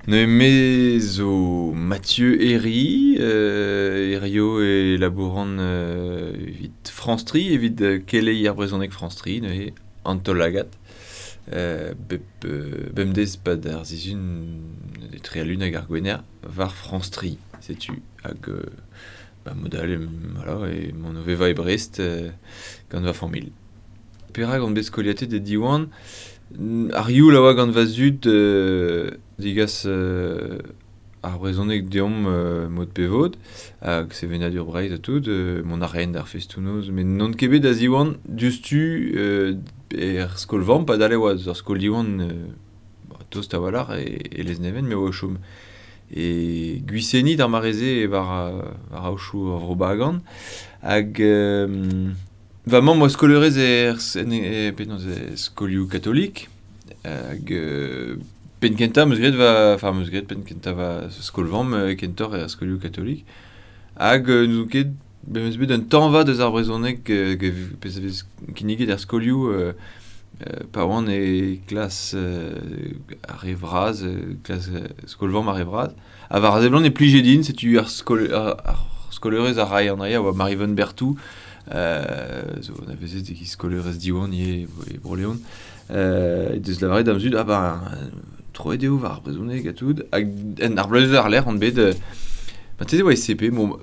Neuze me zo Mathieu Herry, hirio e labouran evit France Tri, evit keleier brezhoneg France Tri, neuze an taol-lagad. Bep bemdez pad ar sizhun etre al lun hag ar gwener war France Tri, setu. Hag ba mod all voilà, emaon o vevañ e Brest gant va familh. Perak on bet skoliatet e Diwan? Ar youl a oa gant va zud degas ar brezhoneg deomp mod pe vod, hag sevenadur Breizh ha tout, mont a raent d'ar festoù-noz, met n'on ket bet da Ziwan diouzhtu er skol-vamm, padal e oa eus ar skol Diwan tost a-walc'h e Lesneven, me oa o chom e Gwiseni d'ar mare-se war aochoù ar Vro-Bagan, hag Va mamm oa skolerez er penaos e skolioù katolik hag penn-kentañ 'm eus graet va enfin 'm eus graet penn-kentañ va skol-vamm kentoc'h er skolioù katolik hag n'ouzon ket bet 'm eus bet un tañva deus ar brezhoneg pezh a vez kinniget er skolioù pa oan e klas ar re vras klas skol-vamm ar re vras ha war a seblant e plije din setu ar skol ar skolerez a rae an dra a oa Maryvonne Berthou zo anavezet e-giz skolerez Diwan ivez e Bro-Leon he deus lavaret da'm zud ah ben troet eo war ar brezhoneg ha tout hag en ar bloavezh war-lerc'h on bet marteze e oa e CP bon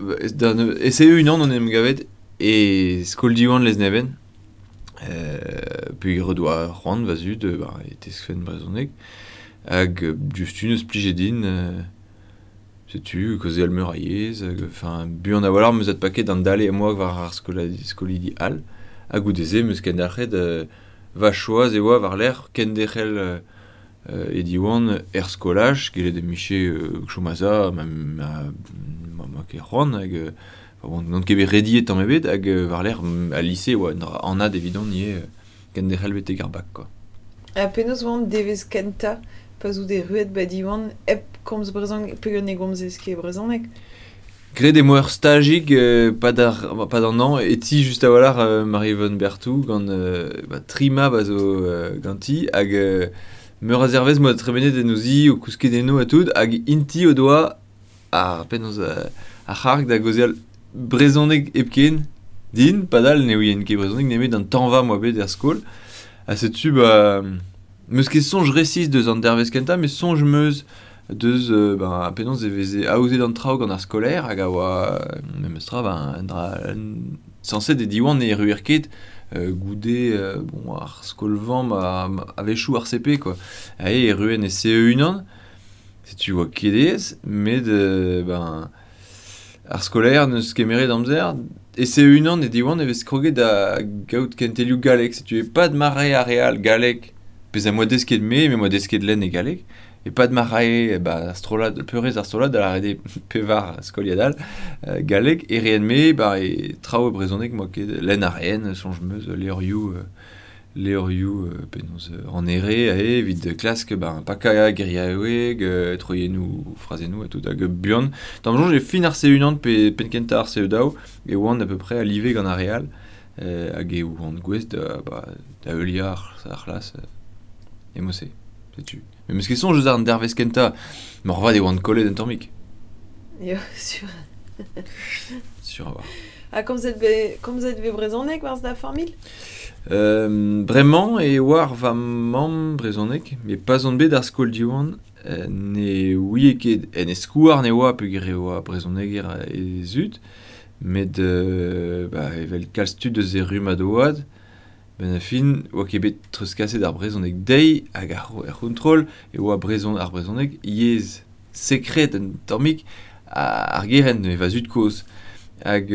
e CE unan on en em gavet e skol Diwan Lesneven peogwir o doa c'hoant va zud ba e teskfen brezhoneg hag diouzhtu neus plijet din. Setu kaozeal meur a yezh hag enfin buan a-walc'h 'm eus adpaket an dale am boa war ar skolidi all ha goude-se 'm eus kendalc'het va choaz e oa war-lerc'h kenderc'hel e Diwan er skolaj gellet em bije chom a-za ma ma ket c'hoant hag n'on ket bet rediet tamm ebet hag war-lerc'h al lise e oa un dra anat evidon ivez kenderc'hel betek ar bak quoi. Ha penaos oan devezh kentañ pa 'z out erruet ba Diwan hep komz brezhoneg peogwir ne gomzez ket brezhoneg? Graet eo ur stajig pad ar pad an hañv e ti just a-walc'h Marie-Yvonne Berthou gant ba, tri mab a zo ganti hag meur a zervezh 'moa tremenet en o zi o kousket eno ha tout hag int-i o doa ar penaos ar c'harg da gaozeal brezhoneg hepken din padal ne ouien ket brezhoneg nemet an tañva 'moa bet er skol ha setu ba 'meus ket soñj resis deus an dervezh kentañ met soñj 'm eus deus ben penaos e veze aozet an traoù gant ar skolaer hag a oa memes tra ben un dra sañset e Diwan ne erruer ket goude bon ar skol-vamm a-wechoù ar CP quoi aze e erruen e CE unan. Setu oa ket aes, met ben ar skolaer 'neus kemeret amzer. E CE unan e Diwan e vez kroget da gaout kentelioù galleg. Setu e-pad ma rae ar re all galleg, pezh am boa desket me, me 'moa desket lenn e galleg, e-pad ma rae ba ar strollad, peurrest ar strollad, da lâret eo pevar skoliad all, galleg, e reen-me ba e traoù e brezhoneg 'moa ket lenn a raen, soñj 'm eus, levrioù levrioù penaos an Here aze evit klask ben pakañ geriaoueg, troiennoù, frazennoù ha tout hag buan. D'am soñj e fin ar C unan pe penn-kentañ ar CE daou e oan à peu près a live gant ar re all hag e oan gouest da ba da heuliañ ar c'hlas e mod-se, setu. Met 'm eus ket soñj eus an dervezh kentañ, moarvat e oan kollet un tammig. Ya, sur. Sur a-walc'h. Ha komzet vez komzet vez brezhoneg 'barzh da familh? Bremañ e oar va mamm brezhoneg, met pa'z on bet d'ar skol Diwan ne ouie ket en e skouarn e oa peogwir e oa brezhoneger he zud, met bah evel kalz tud eus e rummad oad, benn ar fin 'oa ket bet treuzkaset ar brezhoneg dezhi hag ar c'hontrol e oa brezhon ar brezhoneg yezh sekred un tammig ar gerent va zud-kozh. Hag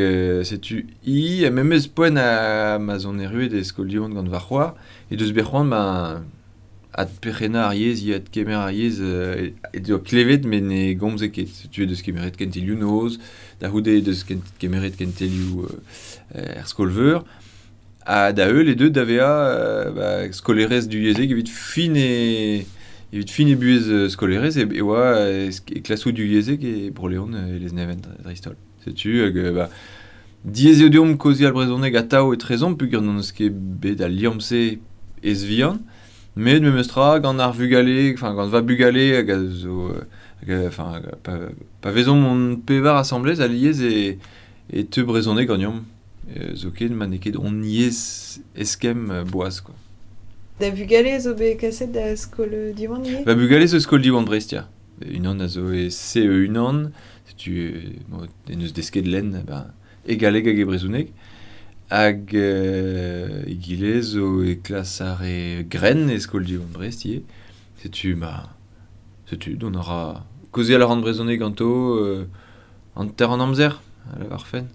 setu hi ha memes poent ha ma'z on erruet e skol Diwan gant va c'hoar he deus bet c'hoant ma adperc'hennañ ar yezh, hi adkemer ar yezh he doa klevet met ne gomze ket. Setu he deus kemeret kentelioù noz, da c'houde he deus kemeret kentelioù er skol-veur. Ha da heul eo deuet da vezañ ba, skolerez duyezhek evit fin e evit fin e buhez skolerez e oa e klasoù duyezhek e Bro-Leon e Lesneven dreist-holl. Setu hag ba, diaes eo deomp kaozeal brezhoneg atav etrezomp peogwir n'hon eus ket bet al liamm-se ez-vihan. Met memes tra gant ar vugale, enfin gant va bugale hag a zo hag enfin pa vezomp hon pevar asamblez aliez e teu brezhoneg ganeomp. Zoken ma n'eo ket hon yezh eskemm boaz quoi. Da vugale zo bet kaset da skol Diwan ivez? Va bugale zo skol Diwan Brest, ya. Unan a zo e CE1, setu bon, en eus desket lenn ben, e galleg hag e brezhoneg. Hag egile zo e klas ar e grenn e skol Diwan Brest ivez. Setu ma setu dont a ra kaozeal a ran brezhoneg ganto hanter an amzer a lavar fenn.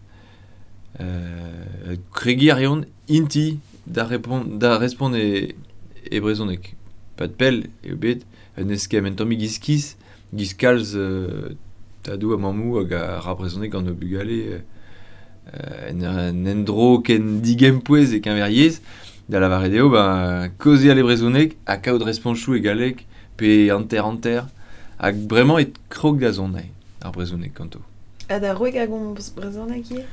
Kregiñ a reont inti da respont e brezhoneg. Pad pell eo bet un eskemm un tammig iskis, giz kalz tadoù ha mammoù hag a ra brezhoneg gant o bugale en endro ken digempouez e keñver yezh, da lavaret eo ben kaozeal e brezhoneg ha kaout responchoù e galleg pe hanter-hanter hag bremañ e krog da zont ar brezhoneg ganto. Ha da wreg a gomz brezhoneg ivez?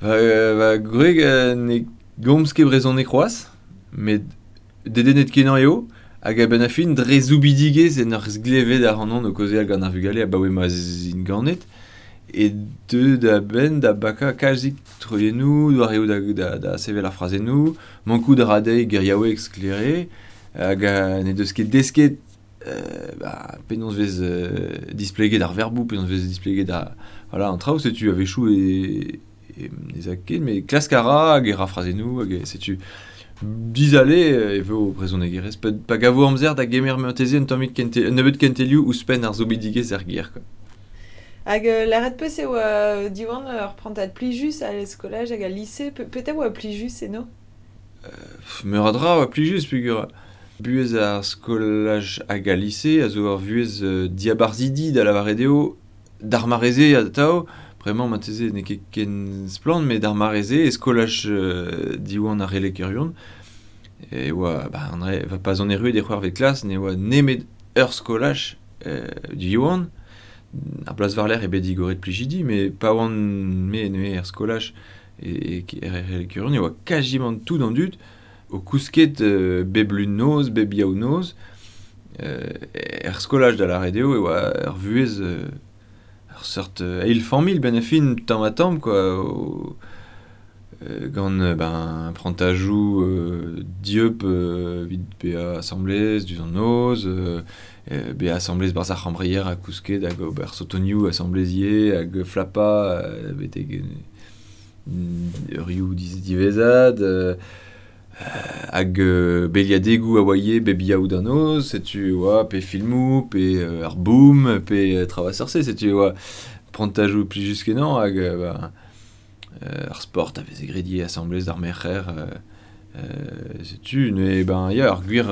Va gwreg ne gomz ket brezhoneg c'hoazh, met dedennet kenañ eo, hag a-benn ar fin dre zoubidigezh en ur glevet ac'hanon o kaozeal gant ar vugale abaoe ma 'z int ganet, e deu da benn da bakañ kalzik troiennoù, doareoù da sevel ar frazennoù, mankout a ra dezhi geriaoueg sklaer, hag ne deus ket desket penaos vez displeget ar verboù, penaos vez displeget ar, voilà, an traoù, setu a-wechoù e ne za ket, met klask a ra hag e ra frazennoù, hag setu dizale e vo brezhonegerez. Pa gavo amzer da gemer marteze un tammig un nebeud kentelioù ouzhpenn ar zoubidigezh er gêr, quoi. Hag lâret peus e oa Diwan ur prantad plijus al skolaj hag al lise, petra oa plijus eno? Meur a dra oa plijus peogwir buhez ar skolaj hag al lise a zo ur vuhez diabarzhidi da lavaret eo d'ar mare-se atav, bremañ marteze n'eo ket ken splann, met d'ar mare-se e skolaj Diwan ar Relekerion, e oa, ba, an re, va pa 'z on erruet e c'hwec'hvet klas, ne oa nemet ur skolaj Diwan, ar bloaz war-lerc'h eo bet digoret Plijidi, met pa oan me neuze er skolaj e Relekerion, e oa kazimant tout an dud o kousket bep lun noz, bep yaou noz, er skolaj da lâret eo e oa ur vuhez ur seurt eil familh benn ar fin tamm ha tamm quoi, gant ben prantajoù dieub evit bezañ asamblez diouzh an noz, bezañ asamblez barzh ar c'hambreier ha kousket hag ober sotonioù asamblez ivez hag flapañ betek eurioù diwezhat, hag beliadegoù a oa ivez bep yaou da noz, setu oa pe filmoù, pe ar boom, pe traoù a seurt-se, setu oa prantajoù plijus-kenañ hag ar sport a veze graet ivez asamblez d'ar merc'her, setu neuze ben ya ar gwir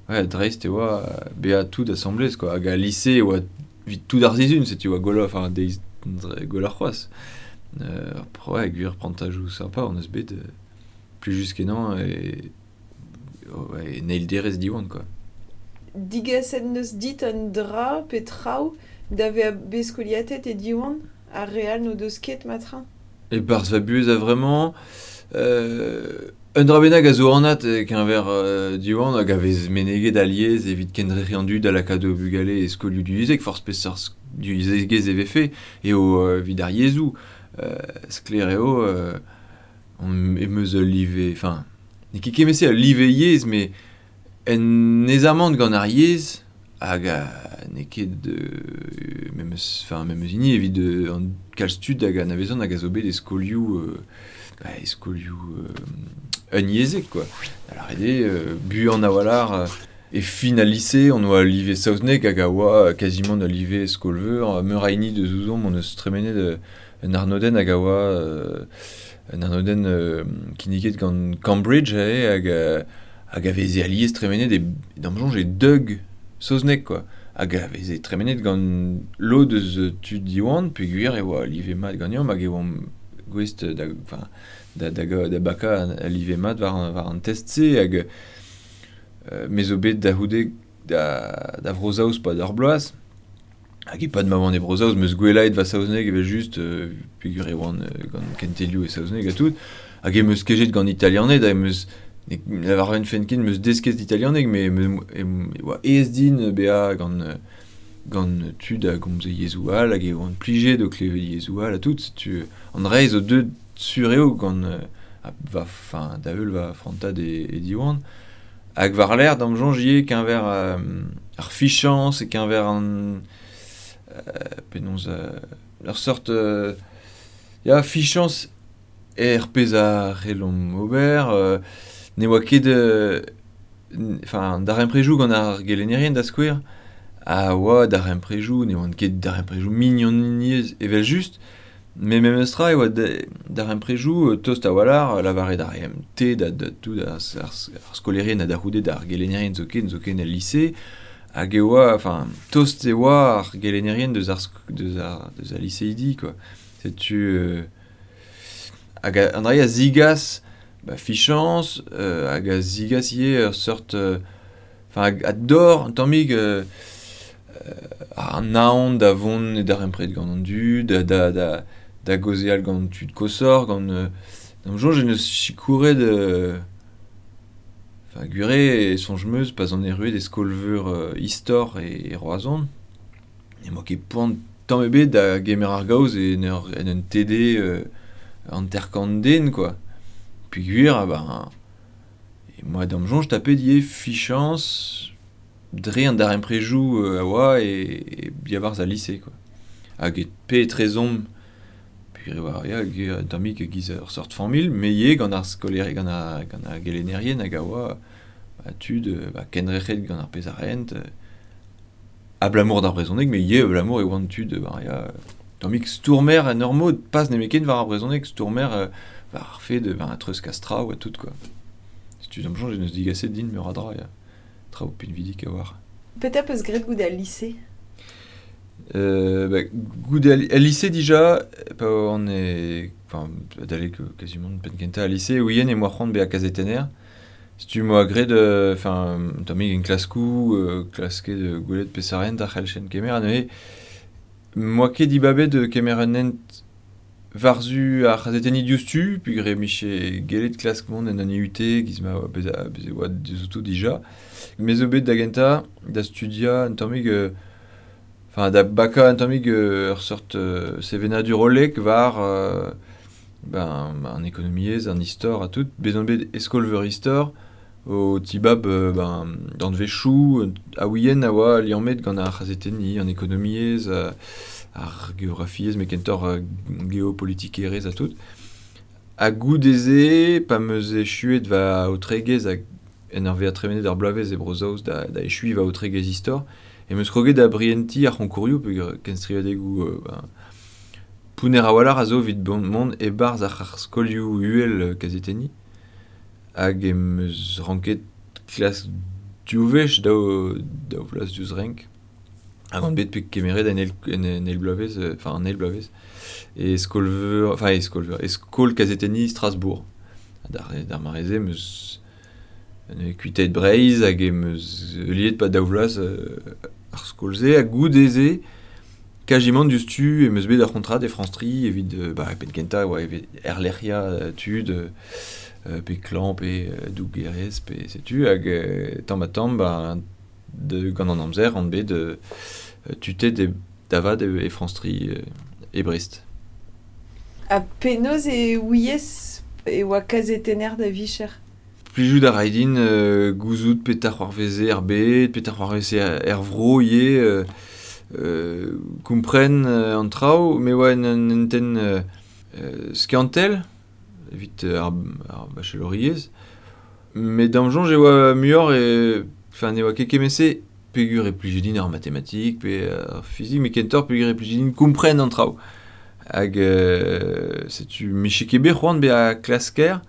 ouais, dreist e oa bezañ tout asamblez quoi, hag al lise e oa evit tout ar sizhun, setu oa gwelloc'h, enfin deiz gwelloc'h c'hoazh. Ouais, gwir prantajoù sympa on eus bet plijus-kenañ e ouais, en eil derez Diwan quoi. Digaset neus dit un dra pe traoù da vezañ bet skoliatet e Diwan ar re all n'o deus ket matra? E-barzh va buhez a vremañ, un dra bennak a zo anat e-keñver Diwan hag a vez meneget alies evit kendrec'hiñ an dud da lakaat o bugale e skolioù divyezhek, forzh peseurt divyezhegezh e vefe, eo evit ar yezhoù. Sklaer eo em eus ul live, enfin, n'eo ket kement-se ul live yezh, met un aezamant gant ar yezh hag n'eo ket memes, enfin, memes hini evit an kalz tud hag anavezan hag a zo bet e skolioù e skolioù unyezhek quoi. Da lâret eo buan a-walc'h e fin al lise on oa live saozneg hag a oa quasiment ul live skol-veur, meur a hini deus ouzhomp on eus tremenet un arnodenn hag a oa un arnodenn kinniget gant Cambridge hag a veze alies tremenet e d'am soñj e deug saozneg quoi, hag a veze tremenet gant lod eus tud Diwan peogwir e oa live mat ganeomp hag e oamp gouest da, enfin, da bakañ al live mat war an test-se hag me zo bet da c'houde da Vro-Saoz pad ur bloaz. Hag e-pad ma oan e Bro-Saoz, meus gwelaet va saozneg evel-just, peogwir e oan gant kentelioù e saozneg ha tout. Hag em eus kejet gant italianed, hag em eus Lavar un fen ken meus desket italianeg, me e oa aes din bezañ gant tud a gomze yezhoù all hag e oan plijet o klevet yezhoù all ha tout. Setu an dra zo deuet sur eo gant va fin da heul va frantad e Diwan. Hag war-lerc'h d'am soñj ivez keñver ar fichañs e keñver an penaos ur seurt ya fichañs er pezh a c'hellomp ober. Ne oa ket enfin darempredoù gant ar gelennerien da skouer a oa darempredoù, ne oant ket darempredoù mignoniezh evel-just, met memestra e oa darempredoù tost a-walc'h, lavaret ar MT da tout ar skolaerien ha da c'houde d'ar gelennerien zoken el lise, hag e oa, enfin, tost e oa ar gelennerien deus ar liseidi, quoi. Setu hag an dra a zigas ba fichañs hag a zigas ivez ur seurt enfin a dor un tammig an aon da vont e darempred gant an dud, da gaozeal gant tud kosor, gant d'am soñj en eus sikouret enfin gure e soñj meus pa 'z on erruet e skol-veur istor e Roazhon. Ne moa ket poan tamm ebet da gemer ar gaoz en un TD hanter-kant den, quoi. Peogwir, ah ben, e moa d'am soñj tapet ivez fichañs dre an darempredoù a oa e diabarzh al lise, quoi. Hag e pe etrezomp, peogwir e oa ya, un tammig e-giz ur seurt familh, met ivez gant ar skolaer, gant ar gelennerien hag a oa ba, tud ba, kendrec'het gant ar pezh a raent, abalamour d'ar brezhoneg, met ivez abalamour e oant tud ba, ya, tammig stourmer en ur mod, pas nemetken war ar brezhoneg, stourmer war ar fed, ben, treuzkas traoù ha tout, quoi. Setu d'am soñj en eus digaset din meur a dra, ya. Traoù pinvidik a war. Petra peus graet goude al lise? Ba, goude al lise dija, pa on e, enfin, adalek quasiment penn kentañ al lise, ouien e moa c'hoant bezañ kazetenner. Setu moa graet, enfin, tammig en klaskoù, klasket gwelet peseurt hent a c'hellchen kemer, ha neuze moa ket dibabet kemer un hent war-zu ar c'hazetenniñ diouzhtu, peogwir miche gellet klask mont en un IUT, giz ma oa bez e oa diouzhouto dija. Me zo bet da gentañ da studiañ un tammig, enfin da bakañ un tammig ur seurt sevenadur hollek war ben, an ekonomiezh, an istor ha tout. Bez on bet e skol-veur istor, o tibab ben, danvezioù a ouien a oa liammet gant ar c'hazetenniñ, an ekonomiezh, ar geografiezh, met kentoc'h geopolitikerezh ha tout. Ha goude-se, pa 'm eus echuet va aotregezh hag en ur vezañ tremenet ar bloavezh e Bro-Saoz da echuiñ va aotregezh istor, em eus kroget da brientiñ ar c'honkourioù peogwir kenstrivadegoù ben, pounner a-walc'h a zo evit mont e-barzh ar skolioù uhel kazetenniñ. Hag em eus ranket klask div wech daou vloaz diouzh renk. Hag on bet bet kemeret en eil bloavezh, enfin an eil bloavezh, e skol-veur, enfin e skol-veur, e skol kazetenniñ Strasbourg. D'ar mare-se em eus kuitaet Breizh hag em eus heuliet pa daou vloaz ar skol-se, ha goude-se, kajimant diouzhtu em eus bet ar c'hontrad e France 3 evit, ba, penn kentañ oa evit erlec'hiañ tud, pe klañv, pe dougerez, pe setu, hag tamm ha tamm, ba, gant an amzer on bet tutet da vat e France 3 e Brest. Ha penaos e ouiez e oa kazetenner da vicher? Plijout a ray din gouzout petra c'hoarveze er bed, petra c'hoarveze er vro ivez, kompren an traoù, me oa en un hentenn skiantel evit ar bacheloriezh. Met d'am soñj e oa muioc'h e, enfin, ne oa ket kement-se peogwir e plije din ar matematik pe ar fizik, met kentoc'h peogwir e plije din kompren an traoù. Hag setu miche ket bet c'hoant bezañ klasker,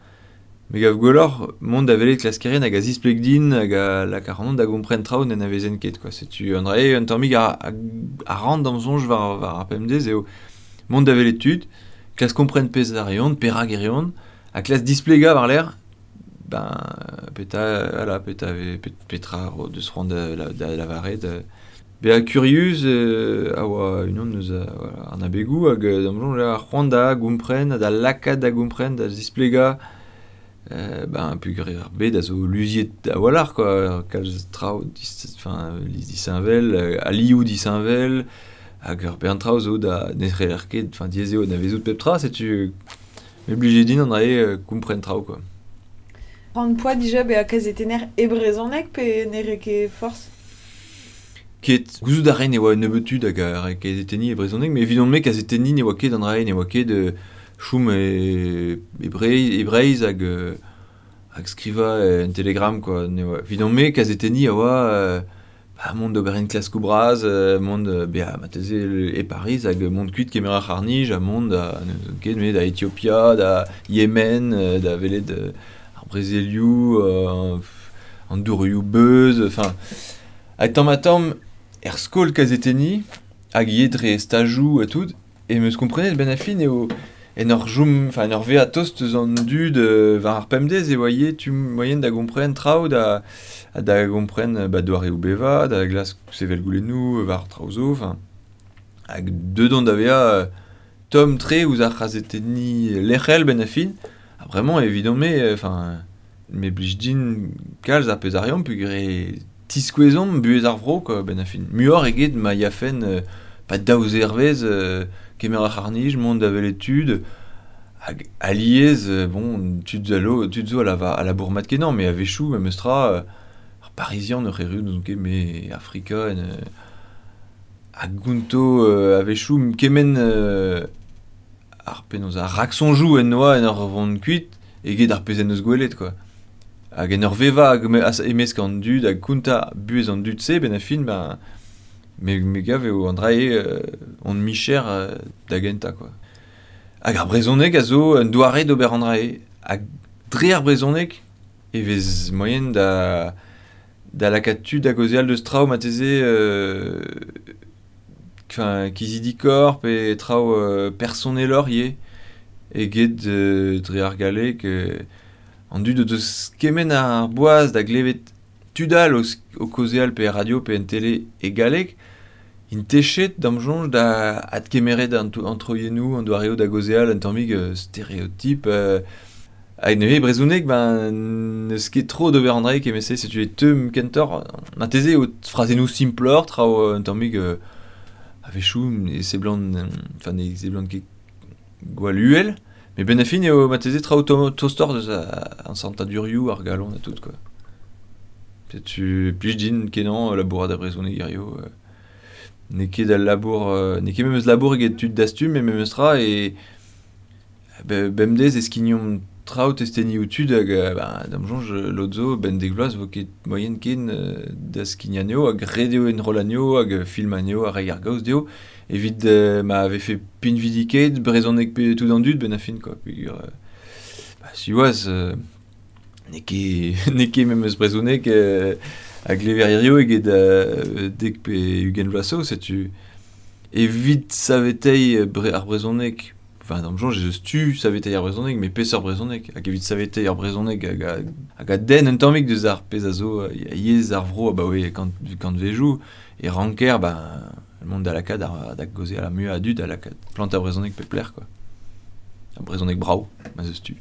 me gav gwelloc'h mont da welet klaskerien hag a zispleg din hag a lak ac'hanon da gompren traoù n'anavezen ket, quoi. Setu an dra-se un tammig a ran d'am soñj war ar pemdez eo mont da welet tud, klask kompren pezh a reont, perak e reont, ha klask displegañ war-lerc'h, ben, petra, voilà, petra deus c'hoant da lavaret. Bezañ kurius a oa unan eus voilà, an abegoù hag d'am soñj ar c'hoant da gompren, da lakaat da gompren, da zisplegañ Ben peogwir ar bed a zo luziet a-walc'h quoi, kalz traoù enfin disheñvel, alioù disheñvel, hag ur bern traoù zo da ne c'heller ket, enfin diaes eo anavezout pep tra, setu me blije din an dra-se kompren traoù quoi. C'hoant poa dija bezañ kazetenner e brezhoneg pe ne rae ket forzh? Ket, gouzout a raen e oa un nebeud tud hag a rae kazetenniñ e brezhoneg, met evidon-me kazetenniñ ne oa ket an dra-se, ne oa ket chom e Breizh hag hag skrivañ en Telegram quoi. Ne oa evidon-me kazetenniñ a oa ba mont d'ober enklaskoù bras, mont bezañ marteze e Pariz hag mont kuit kemer ar c'harr-nij ha mont da n'ouzon ket me da Etiopia, da Yemen, da welet ar brezelioù, an dourioù beuz, enfin hag tamm-ha-tamm er skol kazetenniñ hag ivez dre stajoù ha tout em eus komprenet benn ar fin eo en ur chom, enfin en ur vezañ tost eus an dud war ar pemdez e oa ivez tu moaien da gompren traoù da da gompren ba doareoù bevañ, da glask sevel goulennoù war traoù zo, enfin hag deuet on da vezañ tomm-tre ouzh ar c'hazetenniñ lec'hel benn ar fin ha bremañ evidon-me enfin me blij din kalz ar pezh a reomp peogwir e tiskouezomp buhez ar vro quoi benn ar fin. Muioc'h eget ma yafen pa daou zervezh kemer ar c'harr-nij, mont da welet tud hag alies bon tud zo tud zo a labour mat-kenañ met a-wechoù memestra ar Parizian oc'h erru n'ouzon ket me Afrika en a gonto a-wechoù kement ar penaos ar raksoñjoù en doa en ur vont kuit eget ar pezh en deus gwelet quoi. Hag en ur vevañ e-mesk an dud hag kontañ buhez an dud-se benn ar fin ben me gav eo an dra-se hon micher da gentañ quoi. Hag ar brezhoneg a zo un doare d'ober an dra-se. Hag dre ar brezhoneg e vez moaien da da lakaat tud da gaozeal deus traoù marteze enfin kizidikoc'h pe traoù personeloc'h ivez eget dre ar galleg. An dud o deus kement ar boaz da glevet tud all o kaozeal pe er radio pe en tele e galleg, int techet d'am soñj da adkemeret an troiennoù, an doareoù da gaozeal un tammig stereotip. Hag neuze brezhoneg ben n'eus ket tro d'ober an dra-se kement-se, setu e teu kentoc'h marteze eo frazennoù simploc'h, traoù un tammig a-wechoù ne seblant enfin ne seblant ket gwall uhel. Met benn ar fin eo marteze traoù tostoc'h deus an santadurioù, ar galon ha tout quoi. Setu plij din kenañ labourat ar brezhoneg hiziv. N'eo ket al labour, n'eo ket memes labour eget tud dastum met memes tra e bemdez e skignomp traoù testenioù tud hag ba d'am soñj lod zo benn dek vloaz 'vo ket moaien ken da skignañ anezho hag ret eo enrollañ anezho hag filmañ anezho ha reiñ ar gaoz dezho evit ma vefe pinvidikaet brezhoneg pe tout an dud benn ar fin quoi peogwir ba siwazh n'eo ket n'eo ket memes brezhoneg a glever hiziv eget dek pe ugent vloaz zo setu evit saveteiñ ar brezhoneg enfin d'am soñj ez eus tu saveteiñ ar brezhoneg met peseurt brezhoneg hag evit saveteiñ ar brezhoneg hag a denn un tammig deus ar pezh a zo yezh ar vro abaoe kantvejoù e ranker ben mont da lakaat da gaozeal ar muiañ a dud da lakaat plantañ brezhoneg pep lec'h quoi. Ar brezhoneg brav, ma'z eus tu.